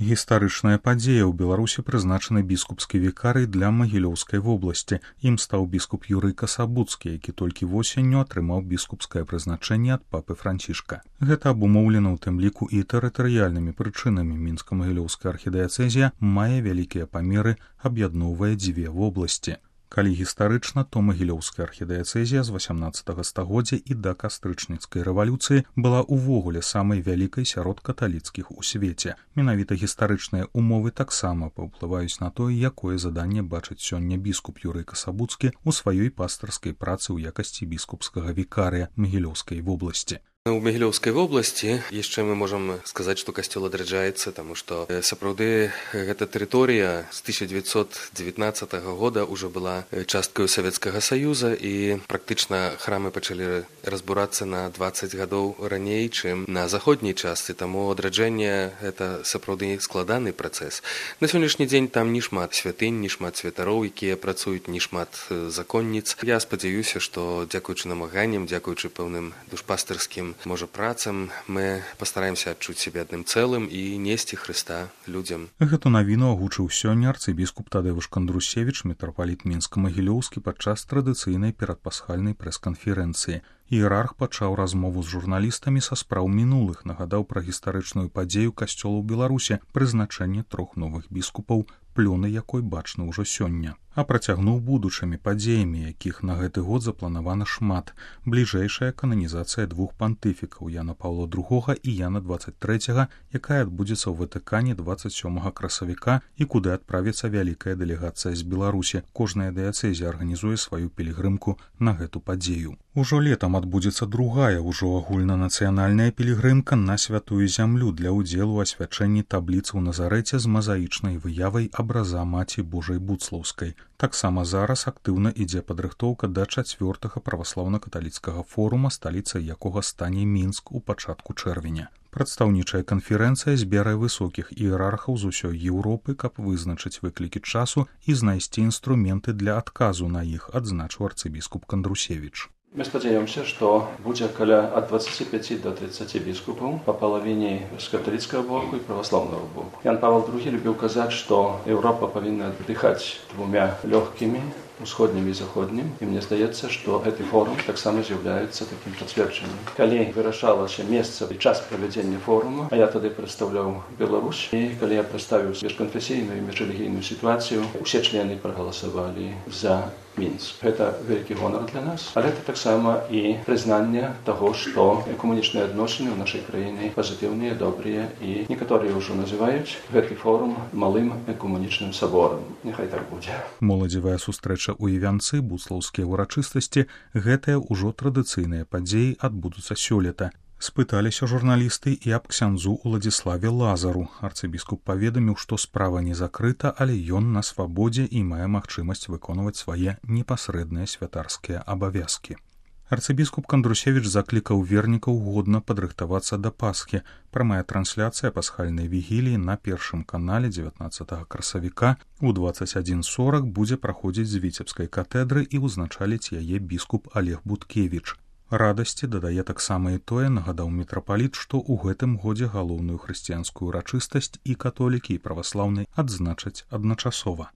Гістарычная падзея ў Беларусі прызначаны біскупскі вікарый для Магілёўскай вобласці. Ім стаў біскуп Юрый Касабуцкі, які толькі восенню атрымаў біскупскае прызначэнне ад папы Францішка. Гэта абумоўлена ў тым ліку і тэрытарыяльнымі прычынамі. Мінска-Магілёўская архідыяцэзія мае вялікія памеры, аб'ядноўвае дзве вобласці. Калі гістарычна, то Магілёўская архідыяцэзія з 18 стагоддзя і да кастрычніцкай рэвалюцыі была ўвогуле самай вялікай сярод каталіцкіх у свеце. Менавіта гістарычныя умовы таксама паўплываюць на тое, якое заданне бачыць сёння біскуп Юрый Касабуцкі ў сваёй пастырскай працы ў якасці біскупскага вікарыя Магілёўскай вобласці. У Магілёўскай вобласці яшчэ мы можам сказаць, што касцёл адраджаецца, таму што сапраўды гэта тэрыторыя з 1919 года ўжо была часткаю Савецкага Саюза, і практычна храмы пачалі разбурацца на 20 гадоў раней, чым на заходняй частцы, таму адраджэнне гэта сапраўды складаны працэс. На сённяшні дзень там не шмат святынь, не шмат святароў, якія працуюць, не шмат законніц. Я спадзяюся, што дзякуючы намаганням, дзякуючы пэўным душпастырскім можа працам, мы пастараемся адчуць сябе адным цэлым і несці Хрыста людзям. Гэту навіну агучыў сёння арцыбіскуп Тадэвуш Кандрусевіч, мітрапаліт Мінска-Магілёўскі, падчас традыцыйнай перадпасхальнай прэс-канферэнцыі. Іерарх пачаў размову з журналістамі са спраў мінулых, нагадаў пра гістарычную падзею касцёла ў Беларусі, прызначэнне 3 новых біскупаў, плёны якой бачны ўжо сёння. А працягнуў будучымі падзеямі, якіх на гэты год запланавана шмат. Бліжэйшая кананізацыя 2 пантыфікаў, Яна Паўла II і Яна 23, якая адбудзецца ў Ватыкане 27 красавіка і куды адправіцца вялікая дэлегацыя з Беларусі. Кожная дыяцэзія арганізуе сваю пілігрымку на гэту падзею. Ужо летам адбудзецца другая, ужо агульнанацыянальная пілігрымка на святую зямлю для ўдзелу ў асвячэнні табліцы ў Назарэце з мазаічнай выявай абраза Маці Божай Буцлаўскай. Таксама зараз актыўна ідзе падрыхтоўка да 4-га праваслаўна-каталіцкага форума, сталіцай якога стане Мінск у пачатку чэрвеня. Прадстаўнічая канферэнцыя збярае высокіх іерархаў з усёй Еўропы, каб вызначыць выклікі часу і знайсці інструменты для адказу на іх, адзначыў арцыбіскуп Кандрусевіч. Мы спадзяёмся, што будзе каля ад 25 до 30 біскупаў па палавіне з каталіцкага боку і праваслаўнага боку. Ян Павел II любіў казаць, што Еўропа павінна дыхаць 2 лёгкімі, усходнім і заходнім, і мне здаецца, што гэты форум таксама з'яўляецца такім пацверджаннем. Калі вырашалася месца і час правядзення форума, а я тады прадстаўляў Беларусь, і калі я прадставіў міжканфесійную і міжрэлігійную сітуацыю, усе члены прагаласавалі за Мінск. Гэта вялікі гонар для нас, але гэта таксама і прызнанне таго, што экуманічныя адносіны ў нашай краіне пазітыўныя, добрыя, і некаторыя ўжо называюць гэты форум малым экуманічным саборам. Няхай так будзе. Моладзевая сустрэча ў Івянцы, буцлаўскія ўрачыстасці, гэтыя ўжо традыцыйныя падзеі адбудуцца сёлета. Спыталіся журналісты і аб ксяндзу Уладзіславе Лазару. Арцыбіскуп паведаміў, што справа не закрыта, але ён на свабодзе і мае магчымасць выконваць свае непасрэдныя святарскія абавязкі. Арцыбіскуп Кандрусевіч заклікаў вернікаў годна падрыхтавацца да Пасхі. Прамая трансляцыя пасхальнай вігіліі на Першым канале 19 красавіка у 21:40 будзе праходзіць з Віцебскай катедры і ўзначаліць яе біскуп Олег Буткевіч. Радасці дадае таксама і тое, нагадаў мітрапаліт, што ў гэтым годзе галоўную хрысціянскую урачыстасць і католікі, і праваслаўныя адзначаць адначасова.